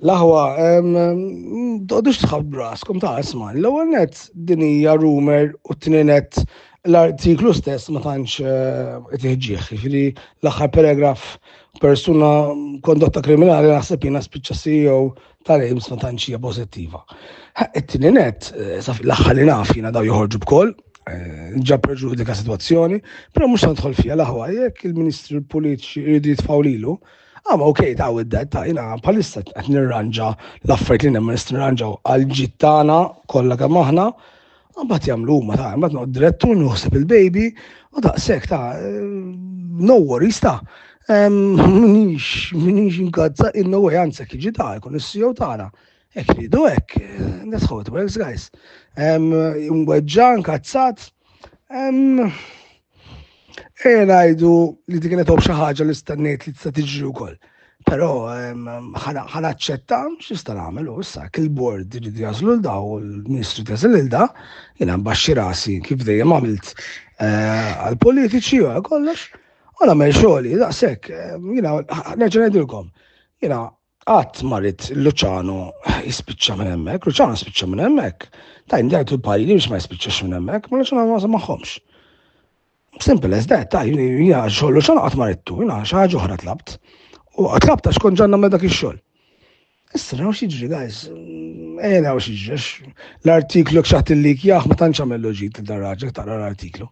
L-aħwa, toqgħodux tħabbru raskom ta' isma'. L-ewwel net din hija rumor u t-tieni net l-artiklu stess ma tantx eh, qed Jiġifieri l-aħħar paragraf persuna kondotta kriminali naħseb jiena spiċċa CEO tal-Ames ma tantx hija pożittiva. It-tieni net, eh, l-aħħar li naf jiena daw joħorġu bkoll, eh, ġa preġudika situazzjoni, però mhux nidħol fiha l-aħwa jekk il-ministri politiċi jridu jitfgħu lilu, I'm okay ta' with that, ta' jina bħalissa qed nirranġa l-affarijiet li nemmen nista' nirranġaw għal ġid tagħna kollha kemm aħna, mbagħad jagħmlu huma ta' mbagħad noqgħod direttur nuħseb il-baby u daqshekk ta' no worries ta' minix minix inkazza in no way anzi jekk jiġi ta' jkun is-CEO tagħna. Hekk ridu hekk, that's how it works guys. Mweġġa, nkazzat. Ejja ngħidu li dik kienet xi ħaġa li stennejt li tista' tiġri wkoll. Però ħa naċċetta x'nista' nagħmel u issa jekk il-board irid jażlu l da u l-ministru jażel lil da, jiena nbaxxi rasi kif dejjem għamilt eh, għall-politiċi u għal kollox, u nagħmel xogħli daqshekk. Jiena nerġa' ngħidilkom, jiena Qatt ma ridt Luciano jispiċċa minn hemmhekk, Luciano spiċċa minn hemmhekk. Tajn dajtu l-pariri biex ma jispiċċax minn hemmhekk, ma Luciano ma magħhomx. Simple as that, ta' jiena xogħol Luciano qatt ma ridtu, jiena xi ħaġa oħra tlabt. U tlabt għax kont ġanna dak ix-xogħol. Issa naraw x'jiġri, guys. Ejja naraw x'jiġri. L-artiklu x'aħt il-lik jaħ ma tantx għamel loġit dar raġel taqra l-artiklu.